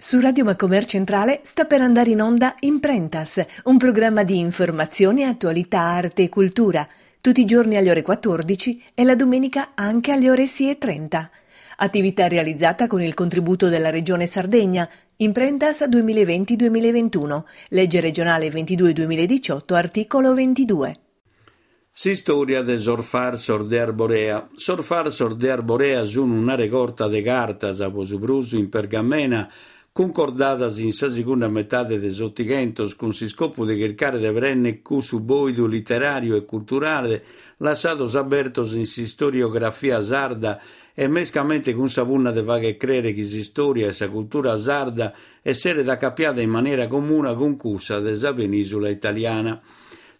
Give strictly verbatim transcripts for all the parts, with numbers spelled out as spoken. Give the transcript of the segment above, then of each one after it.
Su Radio Macomer Centrale sta per andare in onda Imprentas, un programma di informazione, attualità, arte e cultura, tutti i giorni alle ore quattordici e la domenica anche alle ore sei e trenta. Attività realizzata con il contributo della Regione Sardegna, Imprentas duemilaventi duemilaventuno, legge regionale ventidue duemiladiciotto, articolo ventidue. S'istoria de sos farsos de Arborea. Sos farsos de Arborea sun una regorta de cartas, po su prus in pergamena, cuncordadas in sa segunda metade de s'Otighentos cun s'iscopu de chircare de prennere cussu boidu literàriu e culturale lassados abertos in s'istoriografia sarda e mescamente cun sa punna de fagher crere chi s'istoria e sa cultura sarda esseret acapiada in manera comuna cun cussa de sa penìsula italiana.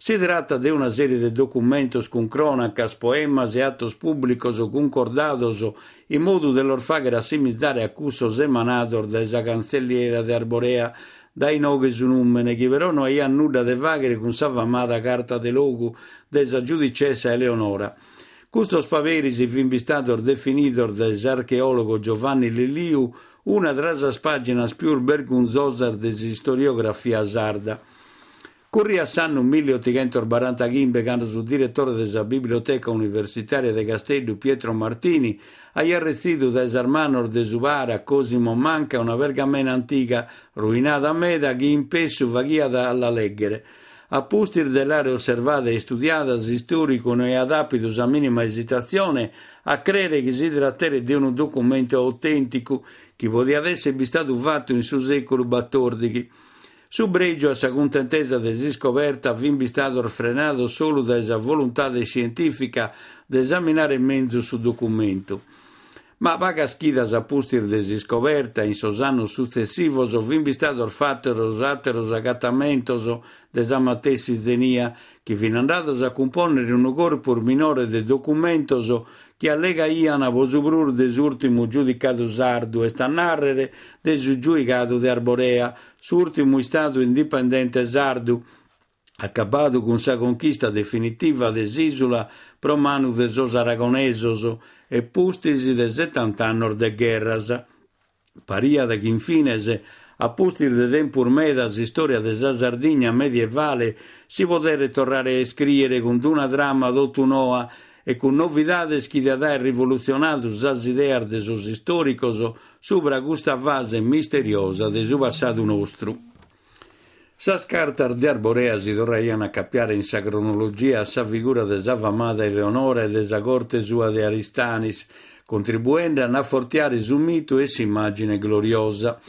Si tratta de una serie de documentos cun crònacas, poemas e atos pùblicos cuncordados in modu de los fàghere assimizare a cussos emanados dae sa cantzelliera de Arborea, dae inoghe su nùmene, chi però no aiat nudda de fàghere cun sa famada Carta de Logu de sa giudicessa Eleonora. Custos paperis fin bistados definidos dae s'archeòlogo Giovanni Lilliu una tra sas pàginas pius bergunzosas de s'istoriografia sarda. Curriat s'annu milleotighentos barantachimbe cando su diretore de sa Biblioteca Universitària de Casteddu, Pietro Martini, aiat retzidu dae sas manos de su para Cosimo Manca una pergamena antiga, ruinada meda, chi in pessu faghiat a la lèghere. A pustis de l'àere osservada e istudiada, s'istòricu no aiat àpidu sa mìnima esitatzione a crèere chi si tratteret de unu documentu autènticu chi podiat èssere bistadu fatu in su sèculu batòrdighi. Su brègiu a sa cuntentesa de s'iscoberta fin bistados frenados solu dae sa voluntade iscientìfica de esaminare menzus su documentu. Ma pagas chidas a pustis de s'iscoberta, in sos annos sutzessivos, fin bistados fatos àteros agatamentos de sa matessi zenia, chi fin andados a cumpònnere unu corpus minore de documentos chi allegaian po su prus de s'ùrtimu giudicadu sardu, est a nàrrere de su giuigadu de Arborea, s'ùrtimu istadu indipendente sardu, acabadu cun sa conchista definitiva de s'ìsula pro manu de sos aragonesos e pustis de setanta annos de gherras. Pariat chi, infines, a pustis de tempus meda, s'istòria de sa Sardigna medievale si poderet torrare a iscrìere cun una trama totu noa e cun novidades chi diat aer rivolutzionadu sas ideas de sos istòricos subra custa fase misteriosa de su passadu nostru. Sas cartas de Arborea si torraian a acapiare in sa cronologia a sa figura de sa famada Eleonora e de sa corte sua de Aristanis, contribuende a afortiare su mitu e s'immàgine gloriosa.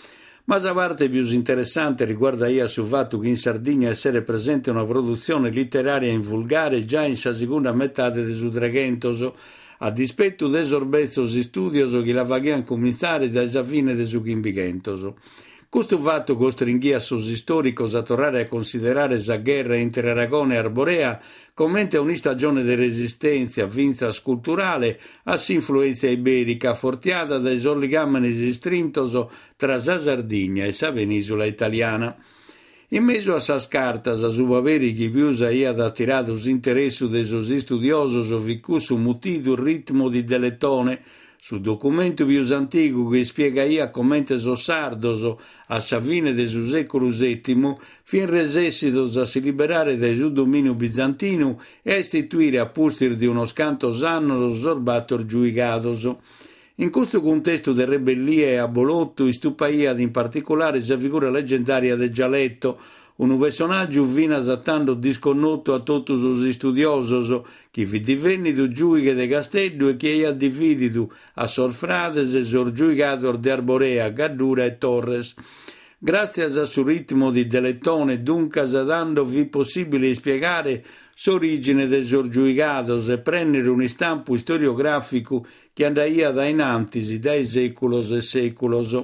Ma sa parte pius interessante riguardaiat su fatu chi in Sardigna esseret presente una produtzione literària in vulgare già in sa segunda metade de su Treghentos, a dispetu de sos betzos istùdios chi la faghian comintzare dae sa fine de su Chimbighentos. Custu fatu costringhiat sos istòricos a torrare a considerare sa gherra intre Aragona e Arborea comente un'istagione de resistèntzia, fintzas culturale, a s'influèntzia ibèrica, afortiada dae sos ligàmenes istrintos tra sa Sardigna e sa penìsula italiana. In mesu a sas cartas, su paperi chi pius aiat atiradu s'interessu de sos istudiosos fit cussu mutidu Ritmo di Deletone, su documentu pius antigu chi ispiegaiat comente sos sardos, a sa fine de su sèculu sètimu, fin resessidos a si liberare dae su domìniu bizantinu e a istituire a pustis de unos cantos annos sos bator giuigados. In custu cuntestu de rebellia e abolotu istupaiat in particulare sa figura legendària de Gialetto, unu personàgiu finas a tando disconnotu a totu sos istudiosos, chi fit divènnidu giùighe de Casteddu e chi aiat divididu a sos frades sos giuigados de Arborea, Gaddura e Torres. Gràtzias a su Ritmo di Deletone, duncas, tando fit possìbile ispiegare s'orìgine de sos giuigados e prènnere un'istampu istoriogràficu chi andaiat a in antis dae sèculos e sèculos.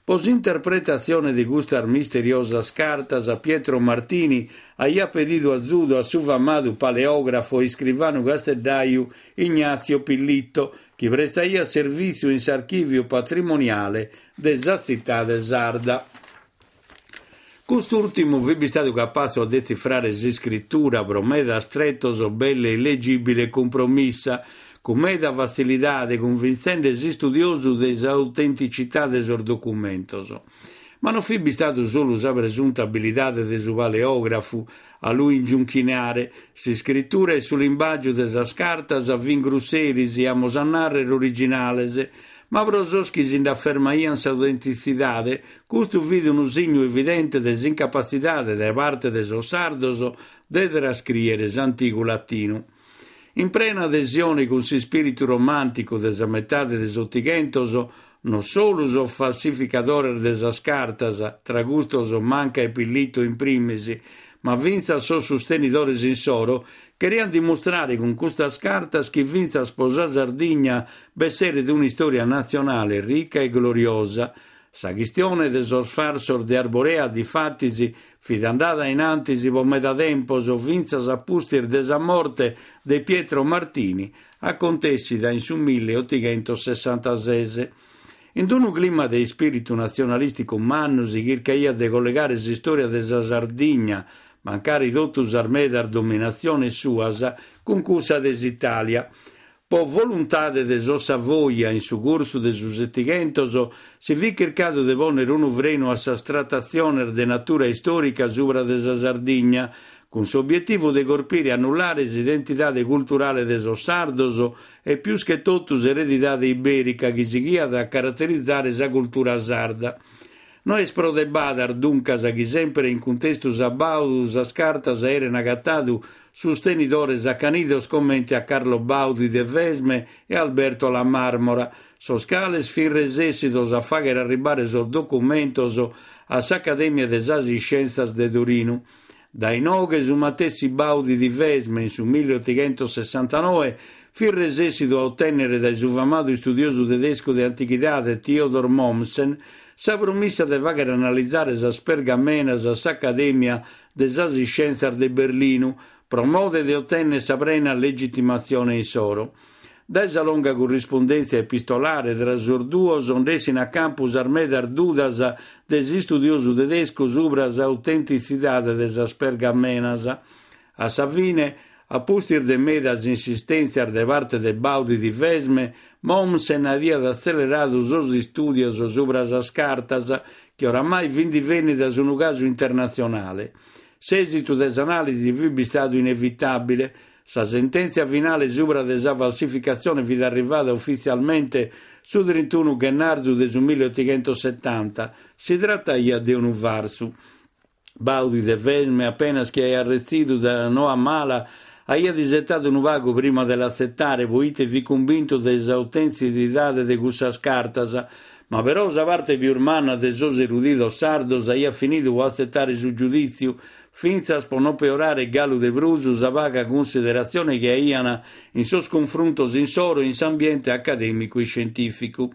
Po s'interpretatzione de custas misteriosas cartas, Pietro Martini aiat pedidu azudu a su famadu paleògrafo e iscrivanu casteddaju Ignazio Pillitto, chi prestaiat servìtziu in s'archìviu patrimoniale de sa tzitade sarda. Cust'ùrtimu fit bistadu capatzu a detzifrare s'iscritura pro medas tretos belle illegìbile e cumpromissa, cun meda fatzilidade, cunvintzende s'istudiosu de s'autenticità de sos documentos. Ma non fit bistadu solu sa presunta abilidade de su paleografu a lu ingiunchinare, s'iscritura e su limbàgiu de sas cartas fin grusseris, amus a nàrrere originales, ma pro sos chi si nd'afermaiant s'autentitzidade, custu fit unu signu evidente de s'incapatzidade dae parte de sos sardos de trascrìere s'antigu latinu. In prena adesione cun s'ispìritu romànticu de sa metade de s'Otighentos, non solu sos falsificadores de sas cartas, tra custos Manca e Pillito in primis, ma fintzas sos sustenidores insoro, cheriant dimustrare cun custas cartas chi fintzas pro sa Sardigna b'esseret un'istòria natzionale rica e gloriosa. Sa chistione de sos farsos de Arborea, difatis, fit andada in antis pro meda tempos, fintzas a pustis de sa morte de Pietro Martini, acontèssida in su milleotighentosessantases. In unu clima de ispìritu natzionalìsticu mannu si chircaiat de collegare s'istòria de sa Sardigna, mancari totu sas medas dominatziones suas, cun cussa de s'Itàlia. Pro voluntade de sos Savoia, in su cursu de su Setighentos, si fit chircadu de pònnere unu frenu a sas tratatziones de natura istòrica subra de sa Sardigna, cun s'obietivu de corpire e annullare s'identidade culturale de sos sardos e pius che totu s'eredidade ibèrica chi sighiat a caraterizare sa cultura sarda. No est pro de badas, duncas, chi semper in cuntestu sabàudu sas cartas aeren agatadu sustenidores acanidos comente a Carlo Baudi de Vesme e Alberto La Marmora, sos cales fin resessidos a fàghere arribare sos documentos a s'Acadèmia de sas Iscièntzias de Torinu. Dae inoghe su matessi Baudi di Vesme in su milleotighentosessantanoe fit resessidu a otènnere dae su famadu istudiosu tedescu de antighidade Theodor Mommsen sa promissa de fàghere analizare sas pergamenas a s'Acadèmia de sas Iscièntzias de Berlinu pro mode de otènnere sa prena legitimatzione insoro. Dae sa longa currispundèntzia epistolare tra sos duos nd'essin a campu sas medas dudas de s'istudiosu tedescu subra s'autentitzidade de sas pergamenas. A sa fine, a pustis de medas insistèntzias de parte de Baudi di Vesme, Mommsen aiat atzeleradu sos istùdios subra sas cartas, chi oramai fin divènnidas unu casu internatzionale. S'èsitu de s'anàlisi fit bistadu inevitàbile. Sa sentèntzia finale subra de sa falsificatzione fit arrivada ufitzialmente su trintunu ghennarzu de su milleotighentosetanta. Si trataiat de unu farsu. Baudi de Vesme, apenas chi aiat retzidu sa noa mala, aiat isetadu unu pagu prima de l'atzetare, poite fit cumbintu de s'autentitzidade de cussas cartas, ma però sa parte pius manna de sos erudidos sardos aiat finidu pro atzetare su giudìtziu, fintzas pro non peorare galu de prus sa paga cunsideratzione chi aiant in sos cunfruntos insoro in s'ambiente acadèmicu e iscientìficu.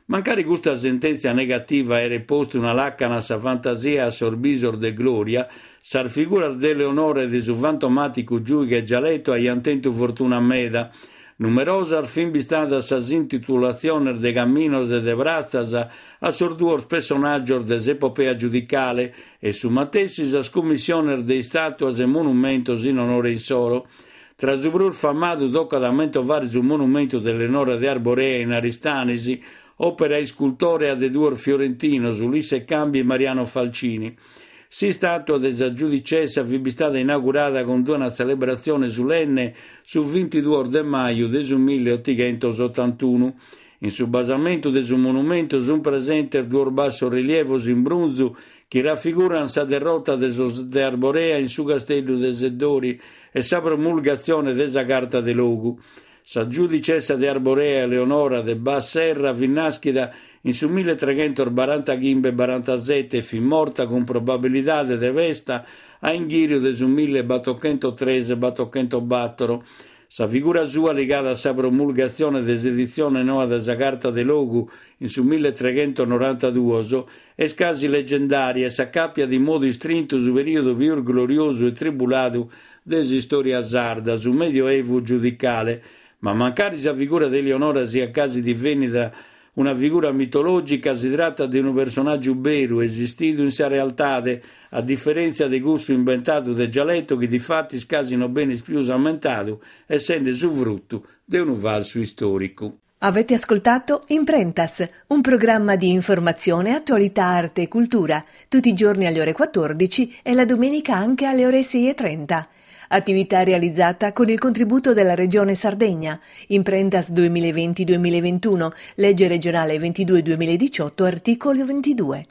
Mancari custa sentèntzia negativa aeret postu una làcana a sa fantasia e a sos bisos de glòria, sas figuras de Eleonora e de su fantomàticu giùighe Gialetto aiant tentu fortuna meda. Numerosas fin bistadas sas intitulatziones de caminos e de pratzas a sos duos pessonàgios de s'epopea giudicale e su matessi sas cummissiones de istàtuas e monumentos in onore insoro. Tra su prus famadu tocat a mentovare su monumentu de Eleonora de Arborea in Aristanis, òpera iscultòrea de duos fiorentinos, Ulisse Cambi e Mariano Falcini. S'istàtua de sa giudicessa fit bistada inaugurada cun una tzelebratzione sulenne su bintiduos de maju de su milleotighentosotantunu. In su basamentu de su monumentu sunt presentes duos bassos rilievos in brunzu chi rafigurant sa derrota de sos de Arborea in su casteddu de Seddori e sa promulgatzione de sa Carta de Logu. Sa giudicessa de Arborea Eleonora de Bas-Serra fit nàschida in su milletreghentosbarantachimbe barantasete e fit morta cun probabilidade de pesta a inghìriu de su millebatochentotres batochentobatoro. Sa figura sua ligada a sa promulgatzione de s'editzione noa de sa Carta de Logu in su milletreghentonorantaduos est casi legendària e s'acàpiat in modu istrintu su perìodu pius gloriosu e tribuladu de s'istòria sarda, su Medioevu giudicale. Ma mancari sa figura de Eleonora siat casi divènnida una figura mitològica, si tratat de unu personàgiu beru, esistidu in sa realtade, a diferèntzia de cussu imbentadu de Gialetto chi difatis casi non benit pius ammentadu, essende su frutu de unu falsu istòricu. Avete ascoltato Imprentas, un programma di informazione, attualità, arte e cultura, tutti i giorni alle ore quattordici e la domenica anche alle ore sei e trenta. Attività realizzata con il contributo della Regione Sardegna. Imprentas duemilaventi duemilaventuno, legge regionale ventidue duemiladiciotto, articolo ventidue.